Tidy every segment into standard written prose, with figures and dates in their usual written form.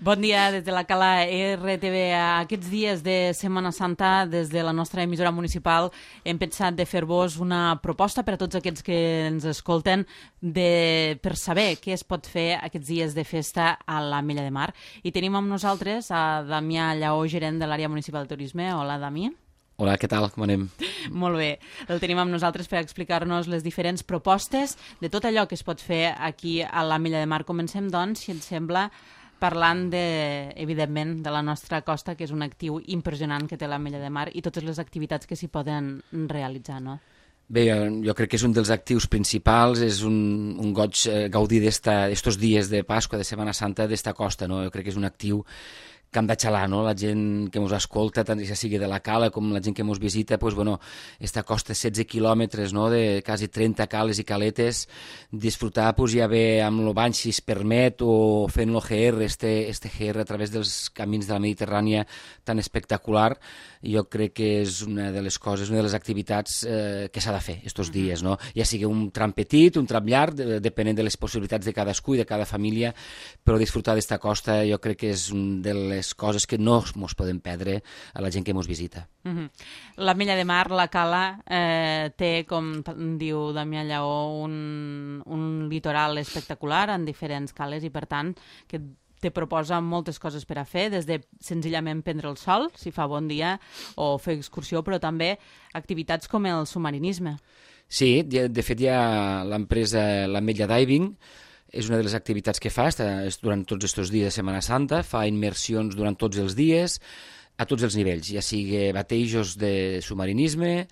Bon dia des de la Cala RTV. Aquests dies de Setmana Santa, des de la nostra emissora municipal, hem pensat de fer-vos una proposta per a tots aquests que ens escolten per saber què es pot fer aquests dies de festa a l'Ametlla de Mar. I tenim amb nosaltres a Damià Lleó, gerent de l'àrea municipal de turisme. Hola, Dami. Hola, què tal? Com anem? Molt bé. El tenim amb nosaltres per explicar-nos les diferents propostes de tot allò que es pot fer aquí a l'Ametlla de Mar. Comencem, doncs, si et sembla, parlant, evidentment, de la nostra costa, que és un actiu impressionant que té l'Ametlla de Mar i totes les activitats que s'hi poden realitzar, no? Bé, jo crec que és un dels actius principals, és un goig gaudir d'estos dies de Pasqua, de Setmana Santa, d'esta costa, no? Jo crec que és un actiu que hem de xalar, no? La gent que ens escolta, tant ja sigui de la cala com la gent que ens visita, pues, bueno, esta costa 16 quilòmetres, no? De quasi 30 cales i caletes, disfrutar pues, ja bé amb el bany si es permet o fent l'OGR, este GR a través dels camins de la Mediterrània tan espectacular. Jo crec que és una de les coses, una de les activitats que s'ha de fer estos dies, no? Ja sigui un tram petit, un tram llarg, depenent de les possibilitats de cadascú i de cada família, però disfrutar d'esta costa jo crec que és una de les coses que no ens podem perdre a la gent que ens visita. L'Ametlla de Mar, la Cala, té, com diu Damià Lleó, un litoral espectacular en diferents cales i, per tant, que te proposa moltes coses per a fer, des de senzillament prendre el sol, si fa bon dia, o fer excursió, però també activitats com el submarinisme. Sí, de fet hi ha l'empresa l'Ametlla Diving, és una de les activitats que fa durant tots aquests dies de Setmana Santa, fa immersions durant tots els dies, a tots els nivells, ja sigui batejos de submarinisme,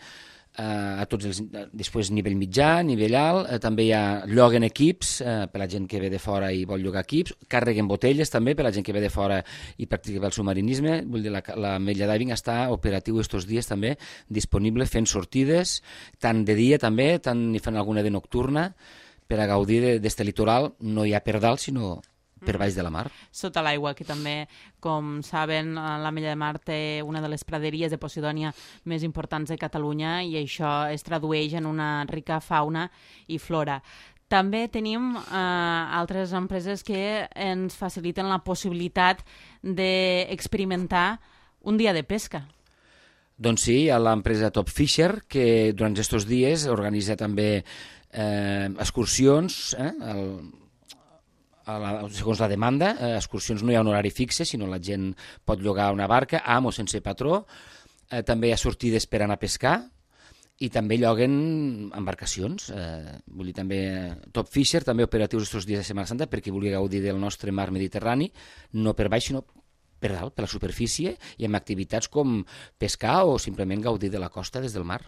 després nivell mitjà, nivell alt, també hi ha lloguen equips per la gent que ve de fora i vol llogar equips, carreguen botelles també per la gent que ve de fora i practica el submarinisme. Vull dir, l'Ametlla Diving està operatiu estos dies també, disponible fent sortides, tant de dia també, tant ni fent alguna de nocturna, per a gaudir d'este litoral, no hi ha per dalt, sinó per baix de la mar. Sota l'aigua, que també, com saben, l'Ametlla de Mar té una de les praderies de Posidònia més importants de Catalunya i això es tradueix en una rica fauna i flora. També tenim altres empreses que ens faciliten la possibilitat d'experimentar un dia de pesca. Doncs sí, hi ha l'empresa Top Fisher, que durant aquests dies organitza també excursions, segons la demanda, excursions no hi ha un horari fixe, sinó la gent pot llogar una barca amb o sense patró, també hi ha sortides per anar a pescar i també lloguen embarcacions. Vull dir, també Top Fisher, també operatius aquests dies de Setmana Santa perquè vulgui gaudir del nostre mar Mediterrani, no per baix, sinó per dalt, per la superfície, i amb activitats com pescar o simplement gaudir de la costa des del mar.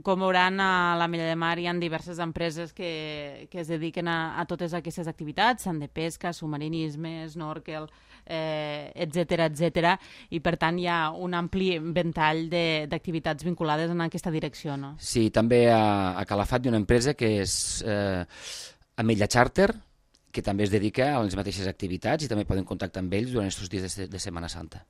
Com veuran, a l'Ametlla de Mar hi ha diverses empreses que es dediquen a totes aquestes activitats, tant de pesca, submarinisme, snorkel, etc. I per tant hi ha un ampli ventall d'activitats vinculades en aquesta direcció, no? Sí, també a Calafat hi ha una empresa que és Ametlla Charter, que també es dedica a les mateixes activitats i també poden contactar amb ells durant aquests dies de Setmana Santa.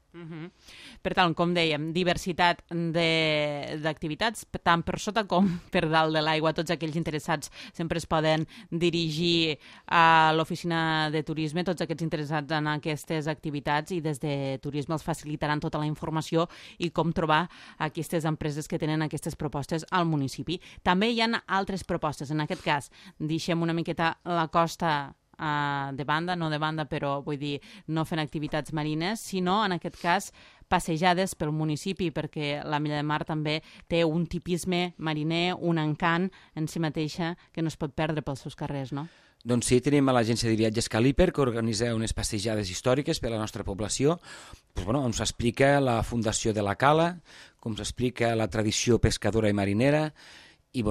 Per tant, com dèiem, diversitat d'activitats, tant per sota com per dalt de l'aigua. Tots aquells interessats sempre es poden dirigir a l'oficina de turisme, tots aquests interessats en aquestes activitats, i des de turisme els facilitaran tota la informació i com trobar aquestes empreses que tenen aquestes propostes al municipi. També hi ha altres propostes. En aquest cas, deixem una miqueta la costa de banda, no de banda, però vull dir, no fent activitats marines, sinó en aquest cas passejades pel municipi, perquè l'Ametlla de Mar també té un tipisme mariner, un encant en si mateixa que no es pot perdre pels seus carrers, no? Doncs sí, tenim a l'agència de viatges Caliper, que organitza unes passejades històriques per a la nostra població. On s'explica la fundació de la Cala, com s'explica la tradició pescadora i marinera, i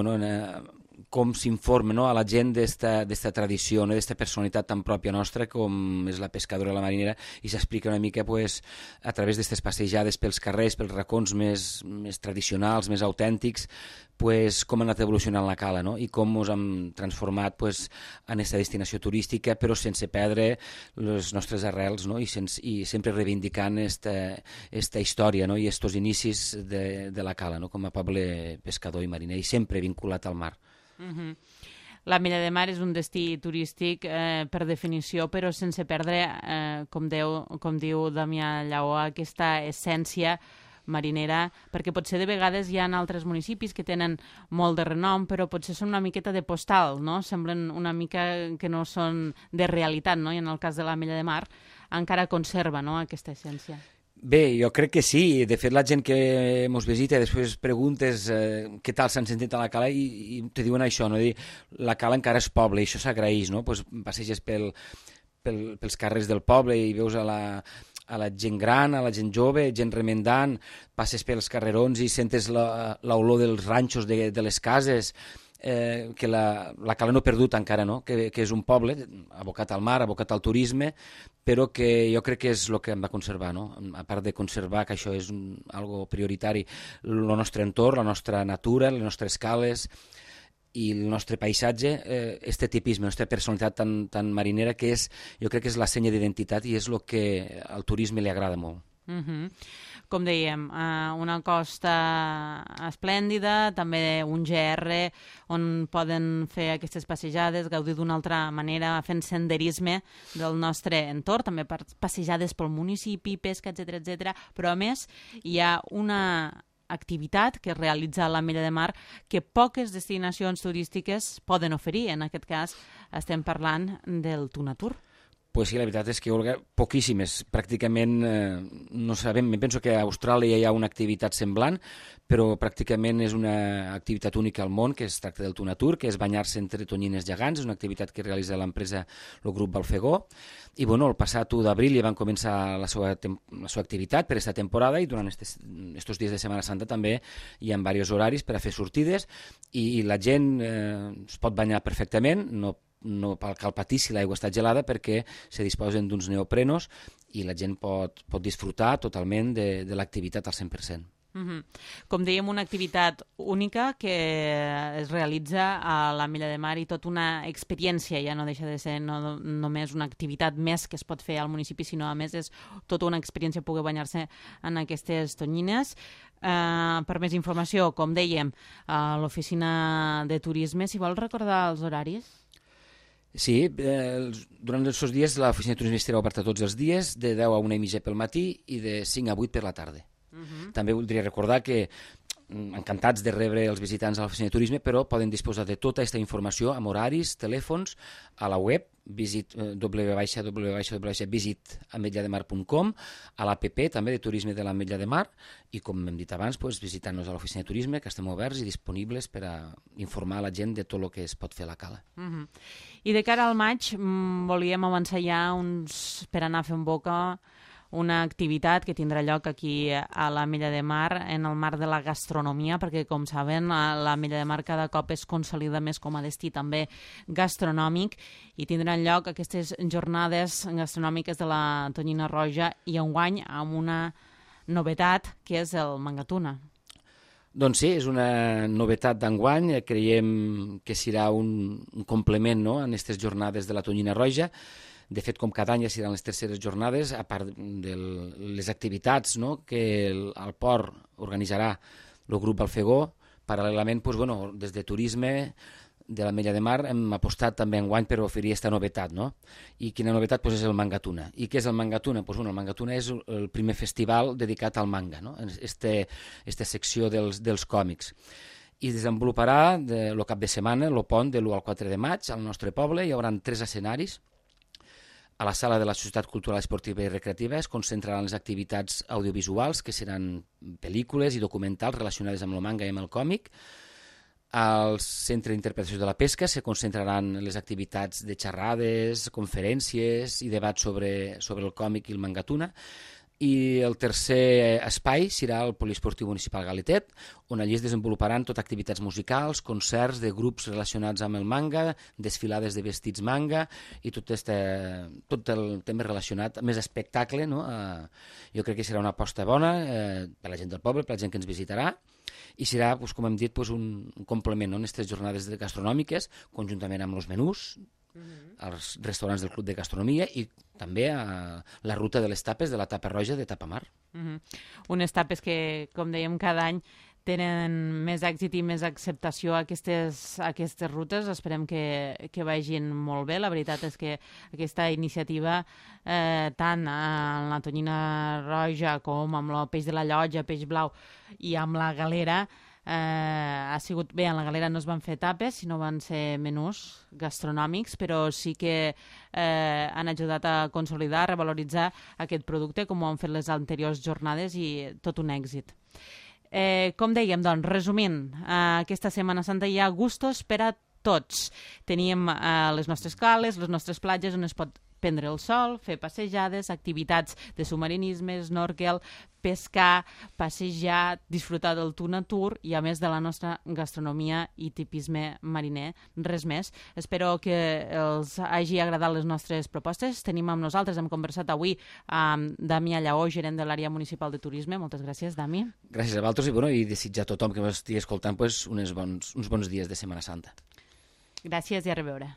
com s'informa, no, a la gent d'esta tradició, no, d'esta personalitat tan pròpia nostra com és la pescadora i la marinera, i s'explica una mica a través d'aquestes passejades pels carrers, pels racons més tradicionals, més autèntics, com ha anat evolucionant la Cala, no? I com ens hem transformat en aquesta destinació turística, però sense perdre les nostres arrels, no? I sempre reivindicant esta història, no? I estos inicis de la Cala, no? Com a poble pescador i mariner, i sempre vinculat al mar. l'Ametlla de Mar és un destí turístic per definició, però sense perdre, com diu Damià Lleó, aquesta essència marinera, perquè potser de vegades hi ha altres municipis que tenen molt de renom, però potser són una miqueta de postal, no? Semblen una mica que no són de realitat, no? I en el cas de l'Ametlla de Mar encara conserva, no?, aquesta essència. Bé, jo crec que sí. De fet, la gent que ens visita després preguntes què tal s'han sentit a la cala i te diuen això, no? Dir, la cala encara és poble i això s'agraeix, no? Pues passeges pels carrers del poble i veus a la gent gran, a la gent jove, gent remendant, passes pels carrerons i sentes l'olor dels ranxos de les cases, que la cala no ha perdut encara, no? Que és un poble abocat al mar, abocat al turisme, però que jo crec que és el que hem de conservar, no? A part de conservar, que això és algo prioritari, el nostre entorn, la nostra natura, les nostres cales i el nostre paisatge, este tipisme, la nostra personalitat tan marinera, que és, jo crec que és la senya d'identitat i és el que al turisme li agrada molt. Com dèiem, una costa esplèndida, també un GR on poden fer aquestes passejades, gaudir d'una altra manera, fent senderisme del nostre entorn, també passejades pel municipi, pesca, etc. Però a més hi ha una activitat que es realitza a l'Ametlla de Mar que poques destinacions turístiques poden oferir. En aquest cas estem parlant del Tunatur. Pues sí, la veritat és que, Olga, poquíssimes. Pràcticament no sabem. Penso que a Austràlia hi ha una activitat semblant, però pràcticament és una activitat única al món, que es tracta del Tunatur, que és banyar-se entre tonyines gegants. És una activitat que realitza l'empresa, el grup Balfegó. I bueno, el passat 1 d'abril ja van començar la seva activitat per aquesta temporada i durant estos dies de Setmana Santa també hi ha diversos horaris per a fer sortides i la gent es pot banyar perfectament, no cal patir si l'aigua està gelada perquè se disposen d'uns neoprenos i la gent pot disfrutar totalment de l'activitat al 100%. Com dèiem, una activitat única que es realitza a l'Ametlla de Mar i tota una experiència, ja no deixa de ser només una activitat més que es pot fer al municipi, sinó a més és tota una experiència poder banyar-se en aquestes tonyines. Per més informació, com dèiem, a l'oficina de turisme, si vol recordar els horaris? Sí, durant aquests dies l'oficina de turisme estarà oberta tots els dies, de 10 a 1:30 pel matí i de 5 a 8 per la tarda. També voldria recordar que encantats de rebre els visitants a l'oficina de turisme, però poden disposar de tota aquesta informació amb horaris, telèfons, a la web visitametllademar.com, a l'APP també de turisme de l'Ametlla de Mar i, com hem dit abans, visitant-nos a l'oficina de turisme, que estem oberts i disponibles per a informar la gent de tot el que es pot fer a la cala. I de cara al maig volíem avançar ja per anar fent boca una activitat que tindrà lloc aquí a l'Ametlla de Mar en el marc de la gastronomia, perquè, com saben, l'Ametlla de Mar cada cop es consolida més com a destí també gastronòmic i tindran lloc aquestes jornades gastronòmiques de la Tonyina Roja i enguany amb una novetat que és el Mangatuna. Doncs sí, és una novetat d'enguany, creiem que serà un complement, no?, en aquestes jornades de la Tonyina Roja. De fet, com cada any ja seran les terceres jornades, a part de les activitats, no?, que el port organitzarà el grup Balfegó. Paral·lelament, des de turisme de l'Ametlla de Mar hem apostat també enguany per oferir aquesta novetat, no? I quina novetat? És el Mangatuna. I què és el Mangatuna? El Mangatuna és el primer festival dedicat al manga, no?, aquesta secció dels còmics. I desenvoluparà el cap de setmana, el pont de l'1 al 4 de maig, al nostre poble. Hi haurà 3 escenaris. A la sala de la Societat Cultural Esportiva i Recreativa es concentraran les activitats audiovisuals, que seran pel·lícules i documentals relacionades amb el manga i amb el còmic. Al Centre d'Interpretació de la Pesca se concentraran les activitats de xerrades, conferències i debats sobre el còmic i el Mangatuna. I el tercer espai serà el Poliesportiu Municipal Galetet, on allí es desenvoluparan tot activitats musicals, concerts de grups relacionats amb el manga, desfilades de vestits manga i tot el tema relacionat, més espectacle, no? Jo crec que serà una aposta bona per la gent del poble, per la gent que ens visitarà, i serà, com hem dit, un complement en aquestes jornades gastronòmiques, conjuntament amb els menús, als restaurants del Club de Gastronomia i també a la ruta de les tapes de la Tapa Roja de Tapamar. Unes tapes que, com dèiem, cada any tenen més èxit i més acceptació a aquestes rutes. Esperem que vagin molt bé. La veritat és que aquesta iniciativa, tant amb la tonyina roja com amb el peix de la Llotja, peix blau i amb la galera, ha sigut bé. En la galera no es van fer tapes, sinó van ser menús gastronòmics, però sí que han ajudat a consolidar, a revaloritzar aquest producte, com ho han fet les anteriors jornades, i tot un èxit. Com dèiem, doncs, resumint, aquesta Setmana Santa hi ha gustos per a tots. Tenim les nostres cales, les nostres platges on es pot prendre el sol, fer passejades, activitats de submarinisme, snorkel, pescar, passejar, disfrutar del tu natur i a més de la nostra gastronomia i tipisme mariner, res més. Espero que els hagi agradat les nostres propostes. Tenim amb nosaltres, hem conversat avui amb Dami Allaó, gerent de l'àrea municipal de turisme. Moltes gràcies, Dami. Gràcies a vosaltres i desitjar a tothom que m'estigui escoltant uns bons dies de Setmana Santa. Gràcies i a reveure.